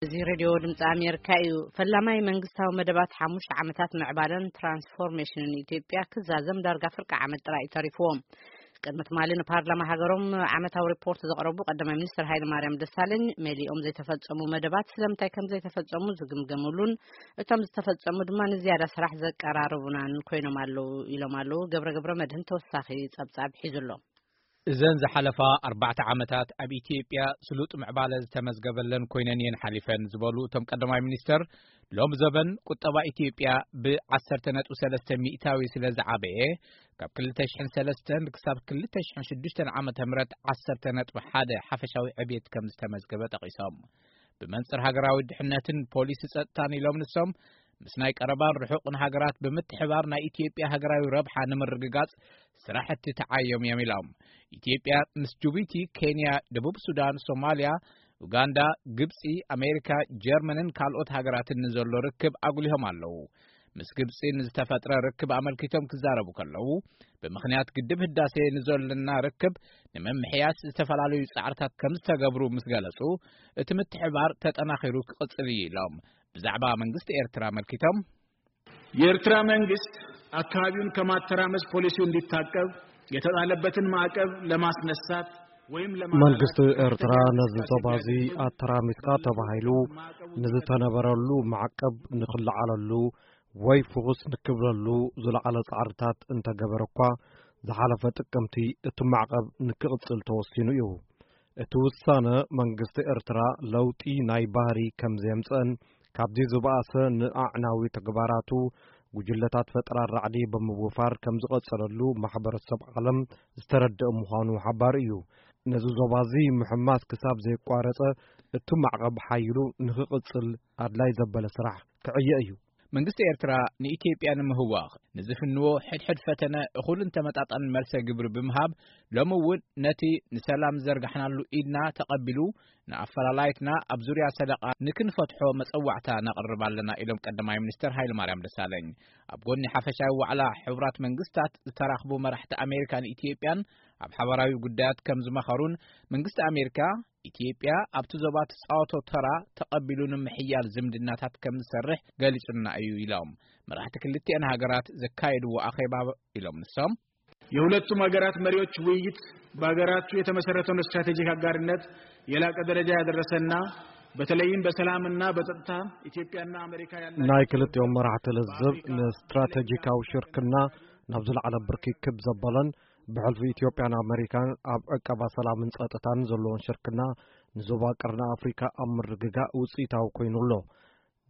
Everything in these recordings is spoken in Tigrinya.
እዚ ሬድዮ ድምፂ ኣሜሪካ እዩ። ፈላማይ መንግስታዊ መደባት ሓሙሽተ ዓመታት ምዕባለን ትራንስፎርሜሽንን ኢትዮጵያ ክዛዘም ዳርጋ ፍርቂ ዓመት ጥራይ እዩ ተሪፍዎ። ቅድሚ ትማሊ ንፓርላማ ሃገሮም ዓመታዊ ሪፖርት ዘቕረቡ ቀዳማይ ሚኒስትር ሃይለ ማርያም ደሳለኝ፣ መሊኦም ዘይተፈጸሙ መደባት ስለምንታይ ከም ዘይተፈጸሙ ዝግምገምሉን እቶም ዝተፈጸሙ ድማ ንዝያዳ ስራሕ ዘቀራርቡናን ኮይኖም ኣለዉ ኢሎም ኣለዉ። ገብረ ገብረ መድህን ተወሳኺ ጸብጻብ ሒዙ ኣሎ። እዘን ዝሓለፋ ኣርባዕተ ዓመታት ኣብ ኢትዮጵያ ስሉጥ ምዕባለ ዝተመዝገበለን ኮይነን እየን ሓሊፈን ዝበሉ እቶም ቀዳማይ ሚኒስተር፣ ሎም ዘበን ቁጠባ ኢትዮጵያ ብ ዓሰርተ ነጥቢ ሰለስተ ሚእታዊ ስለ ዝዓበየ፣ ካብ ክልተ ሽሕን ሰለስተን ክሳብ ክልተ ሽሕን ሽዱሽተን ዓመተ ምህረት ዓሰርተ ነጥቢ ሓደ ሓፈሻዊ ዕብየት ከም ዝተመዝገበ ጠቒሶም። ብመንጽር ሃገራዊ ድሕነትን ፖሊሲ ጸጥታን ኢሎም ንሶም፣ ምስ ናይ ቀረባን ርሑቕን ሃገራት ብምትሕባር ናይ ኢትዮጵያ ሃገራዊ ረብሓ ንምርግጋጽ ስራሕቲ ተዓዮም እዮም ኢሎም። ኢትዮጵያ ምስ ጅቡቲ፣ ኬንያ፣ ደቡብ ሱዳን፣ ሶማልያ፣ ኡጋንዳ፣ ግብጺ፣ ኣሜሪካ፣ ጀርመንን ካልኦት ሃገራትን ንዘሎ ርክብ ኣጉሊሆም ኣለዉ። ምስ ግብጺ ንዝተፈጥረ ርክብ ኣመልኪቶም ክዛረቡ ከለዉ፣ ብምኽንያት ግድብ ህዳሴ ንዘለና ርክብ ንምምሕያስ ዝተፈላለዩ ጻዕርታት ከም ዝተገብሩ ምስ ገለጹ፣ እቲ ምትሕባር ተጠናኺሩ ክቕጽል እዩ ኢሎም። ብዛዕባ መንግስቲ ኤርትራ ኣመልኪቶም፣ የኤርትራ መንግስት አካባቢውን ከማተራመስ ፖሊሲው እንዲታቀብ የተጣለበትን ማዕቀብ ለማስነሳት ወይም ለማላላት መንግስቲ ኤርትራ ከፍተኛ ነዚ እንቅስቃሴ ዞባ እዚ የሚያደርግ አተራሚስካ ተባሂሉ ንዝተነበረሉ ማዕቀብ ንክለዓለሉ ወይ ፍኹስ ንክብለሉ ዝለዓለ ጻዕርታት እንተገበረ እኳ፣ ዝሓለፈ ጥቅምቲ እቲ ማዕቀብ ንክቕጽል ተወሲኑ እዩ። እቲ ውሳነ መንግስቲ ኤርትራ ለውጢ ናይ ባህሪ ከም ዘየምጽአን ካብዚ ዝበኣሰ ንኣዕናዊ ተግባራቱ ጉጅለታት ፈጠራ ራዕዲ ብምውፋር ከም ዝቐጸለሉ ማሕበረሰብ ዓለም ዝተረድአ ምዃኑ ሓባሪ እዩ። ነዚ ዞባ እዚ ምሕማስ ክሳብ ዘየቋረጸ እቲ ማዕቐብ ሓይሉ ንኽቕጽል ኣድላይ ዘበለ ስራሕ ክዕየ እዩ። መንግስቲ ኤርትራ ንኢትዮጵያ ንምህዋኽ ንዝፍንዎ ሕድሕድ ፈተነ እኹልን ተመጣጣንን መልሰ ግብሪ ብምሃብ፣ ሎሚ እውን ነቲ ንሰላም ዝዘርጋሕናሉ ኢድና ተቐቢሉ፣ ንኣፈላላይትና ኣብ ዙርያ ሰደቓ ንክንፈትሖ መጸዋዕታ ነቕርብ ኣለና ኢሎም ቀዳማይ ሚኒስተር ሃይለማርያም ደሳለኝ። ኣብ ጎኒ ሓፈሻዊ ዋዕላ ሕቡራት መንግስታት ዝተራኽቡ መራሕቲ ኣሜሪካን ኢትዮጵያን ኣብ ሓባራዊ ጉዳያት ከም ዝመኸሩን፣ መንግስቲ ኣሜሪካ ኢትዮጵያ ኣብቲ ዞባ ትጻወቶ ተራ ተቐቢሉ ንምሕያል ዝምድናታት ከም ዝሰርሕ ገሊጹና እዩ ኢሎም። መራሕቲ ክልቲአን ሃገራት ዘካየድዎ ኣኼባ ኢሎም ንሶም። የሁለቱም ሀገራት መሪዎች ውይይት በሀገራቱ የተመሰረተውን ስትራቴጂክ አጋርነት የላቀ ደረጃ ያደረሰና በተለይም በሰላምና በጸጥታ ኢትዮጵያና አሜሪካ ያላቸው ናይ ክልቲኦም መራሕቲ ልዝብ ንስትራቴጂካዊ ሽርክና ናብ ዝለዓለ ብርኪ ክብ ዘበለን ብሕልፊ ኢትዮጵያን ኣመሪካን ኣብ ዕቀባ ሰላምን ጸጥታን ዘለዎን ሽርክና ንዞባ ቀርኒ ኣፍሪካ ኣብ ምርግጋእ ውጽኢታዊ ኮይኑ ኣሎ።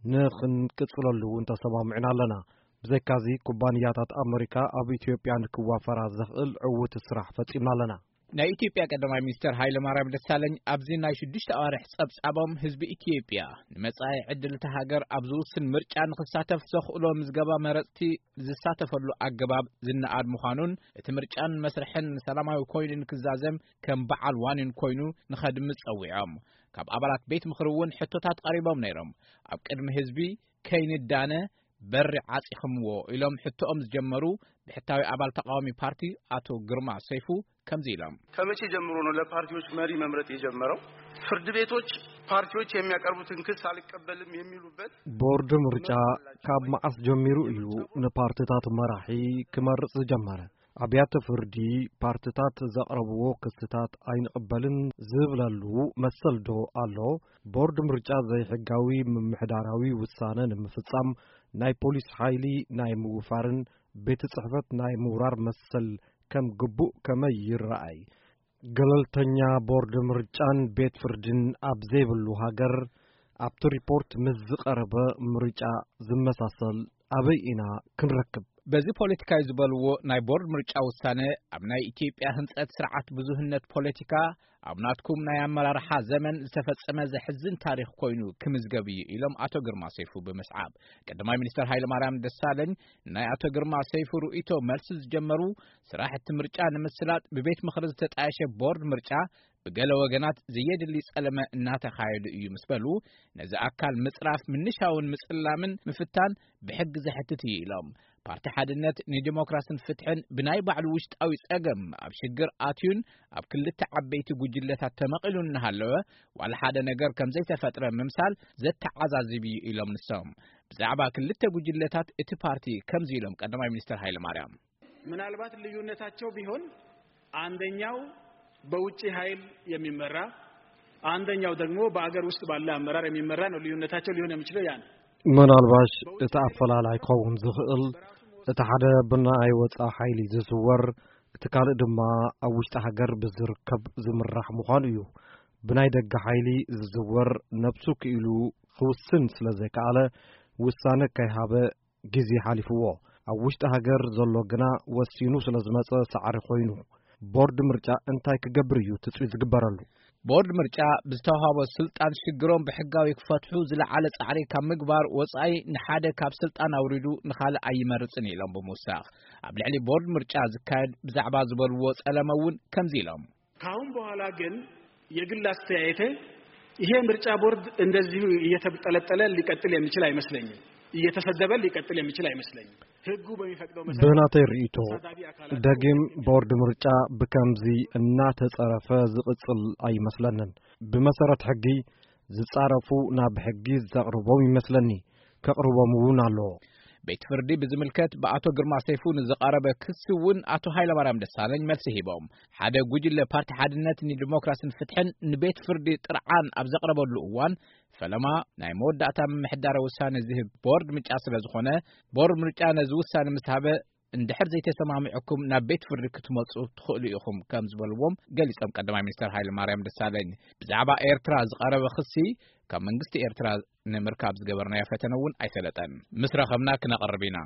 ንኽንቅጽለሉ እውን ተሰማሚዕና ኣለና። ብዘይካዚ ኩባንያታት ኣመሪካ ኣብ ኢትዮጵያ ንክዋፈራ ዘኽእል ዕዉት ስራሕ ፈጺምና ኣለና። ናይ ኢትዮጵያ ቀዳማይ ሚኒስተር ሃይለማርያም ደሳለኝ ኣብዚ ናይ ሽዱሽተ ኣዋርሕ ጸብጻቦም ህዝቢ ኢትዮጵያ ንመጻኢ ዕድል እታ ሃገር ኣብ ዝውስን ምርጫ ንኽሳተፍ ዘኽእሎ ምዝገባ መረጽቲ ዝሳተፈሉ ኣገባብ ዝነኣድ ምዃኑን እቲ ምርጫን መስርሕን ሰላማዊ ኮይኑ ንክዛዘም ከም በዓል ዋኒን ኮይኑ ንኸድምጽ ጸዊዖም። ካብ ኣባላት ቤት ምኽሪ እውን ሕቶታት ቀሪቦም ነይሮም። ኣብ ቅድሚ ህዝቢ ከይንዳነ በሪ ዓጺኽምዎ ኢሎም ሕቶኦም ዝጀመሩ ብሕታዊ ኣባል ተቃዋሚ ፓርቲ ኣቶ ግርማ ሰይፉ ከምዚ ኢሎም። ከመቼ ጀምሮ ነው ለፓርቲዎች መሪ መምረጥ የጀመረው? ፍርድ ቤቶች ፓርቲዎች የሚያቀርቡትን ክስ አልቀበልም የሚሉበት ቦርድ ምርጫ ካብ መዓስ ጀሚሩ እዩ ንፓርትታት መራሒ ክመርጽ ዝጀመረ? ኣብያተ ፍርዲ ፓርትታት ዘቕረብዎ ክስታት ኣይንቕበልን ዝብለሉ መሰል ዶ ኣሎ? ቦርድ ምርጫ ዘይሕጋዊ ምምሕዳራዊ ውሳነ ንምፍጻም ናይ ፖሊስ ሓይሊ ናይ ምውፋርን ቤት ጽሕፈት ናይ ምውራር መሰል ከም ግቡእ ከመይ ይረኣይ? ገለልተኛ ቦርድ ምርጫን ቤት ፍርድን ኣብ ዘይብሉ ሃገር ኣብቲ ሪፖርት ምስ ዝቐረበ ምርጫ ዝመሳሰል ኣበይ ኢና ክንረክብ? በዚ ፖለቲካዊ ዝበልዎ ናይ ቦርድ ምርጫ ውሳነ ኣብ ናይ ኢትዮጵያ ህንጸት ስርዓት ብዙህነት ፖለቲካ ኣብ ናትኩም ናይ ኣመራርሓ ዘመን ዝተፈጸመ ዘሕዝን ታሪኽ ኮይኑ ክምዝገብ እዩ ኢሎም ኣቶ ግርማ ሰይፉ ብምስዓብ፣ ቀዳማይ ሚኒስተር ሃይለማርያም ደሳለኝ ናይ ኣቶ ግርማ ሰይፉ ርእይቶ መልሲ ዝጀመሩ ስራሕ እቲ ምርጫ ንምስላጥ ብቤት ምኽሪ ዝተጣየሸ ቦርድ ምርጫ ብገለ ወገናት ዘየድሊ ጸለመ እናተኻየዱ እዩ ምስ በሉ፣ ነዚ ኣካል ምጽራፍ፣ ምንሻውን ምጽላምን ምፍታን ብሕጊ ዘሕትት እዩ ኢሎም። ፓርቲ ሓድነት ንዲሞክራስን ፍትሕን ብናይ ባዕሉ ውሽጣዊ ጸገም ኣብ ሽግር ኣትዩን ኣብ ክልተ ዓበይቲ ጉጅለታት ተመቒሉን እናሃለወ፣ ዋላ ሓደ ነገር ከም ዘይተፈጥረ ምምሳል ዘተዓዛዝብ እዩ ኢሎም ንሶም። ብዛዕባ ክልተ ጉጅለታት እቲ ፓርቲ ከምዚ ኢሎም ቀዳማይ ሚኒስትር ሃይለ ማርያም። ምናልባት ልዩነታቸው ቢሆን አንደኛው በውጭ ኃይል የሚመራ፣ አንደኛው ደግሞ በአገር ውስጥ ባለ አመራር የሚመራ ነው። ልዩነታቸው ሊሆን የሚችለው ያ ነው። ምናልባሽ እቲ ኣፈላላይ ክኸውን ዝኽእል፣ እቲ ሓደ ብናይ ወጻኢ ሓይሊ ዝዝወር፣ እቲ ካልእ ድማ ኣብ ውሽጢ ሃገር ብዝርከብ ዝምራሕ ምዃኑ እዩ። ብናይ ደገ ሓይሊ ዝዝወር፣ ነብሱ ክኢሉ ክውስን ስለ ዘይከኣለ፣ ውሳነ ከይሃበ ግዜ ሓሊፍዎ። ኣብ ውሽጢ ሃገር ዘሎ ግና ወሲኑ ስለ ዝመጸ ሳዕሪ ኮይኑ። ቦርድ ምርጫ እንታይ ክገብር እዩ ትጽቢት ዝግበረሉ? ቦርድ ምርጫ ብዝተዋሃቦ ስልጣን ሽግሮም ብሕጋዊ ክፈትሑ ዝለዓለ ጻዕሪ ካብ ምግባር ወጻኢ፣ ንሓደ ካብ ስልጣን ኣውሪዱ ንኻልእ ኣይመርጽን ኢሎም ብምውሳኽ፣ ኣብ ልዕሊ ቦርድ ምርጫ ዝካየድ ብዛዕባ ዝበልዎ ጸለመ እውን ከምዚ ኢሎም። ካሁን በኋላ ግን የግል አስተያየቴ፣ ይሄ ምርጫ ቦርድ እንደዚሁ እየተብጠለጠለ ሊቀጥል የሚችል አይመስለኝም። እየተሰደበ ሊቀጥል የሚችል አይመስለኝም። ህጉ በሚፈቅደው መሰረት ብናተይ ርእይቶ፣ ተሳዳቢ አካላት ደጊም ቦርድ ምርጫ ብከምዚ እናተጸረፈ ዝቕጽል ኣይመስለንን። ብመሰረት ሕጊ ዝጻረፉ ናብ ሕጊ ዘቕርቦም ይመስለኒ። ከቕርቦም እውን ኣለዎ። ቤት ፍርዲ ብዝምልከት ብኣቶ ግርማ ሰይፉ ንዝቐረበ ክሲ እውን ኣቶ ሃይለማርያም ደሳለኝ መልሲ ሂቦም። ሓደ ጉጅለ ፓርቲ ሓድነት ንዲሞክራስን ፍትሕን ንቤት ፍርዲ ጥርዓን ኣብ ዘቕረበሉ እዋን፣ ፈለማ ናይ መወዳእታ ምምሕዳራዊ ውሳነ ዝህብ ቦርድ ምርጫ ስለ ዝኾነ፣ ቦርድ ምርጫ ነዚ ውሳነ ምስ ሃበ፣ እንድሕር ዘይተሰማሚዕኩም ናብ ቤት ፍርዲ ክትመጹ ትኽእሉ ኢኹም ከም ዝበልዎም ገሊጾም ቀዳማይ ሚኒስተር ሃይለ ማርያም ደሳለኝ። ብዛዕባ ኤርትራ ዝቐረበ ክሲ ካብ መንግስቲ ኤርትራ ንምርካብ ዝገበርናዮ ፈተነ እውን ኣይሰለጠን። ምስ ረኸብና ክነቕርብ ኢና።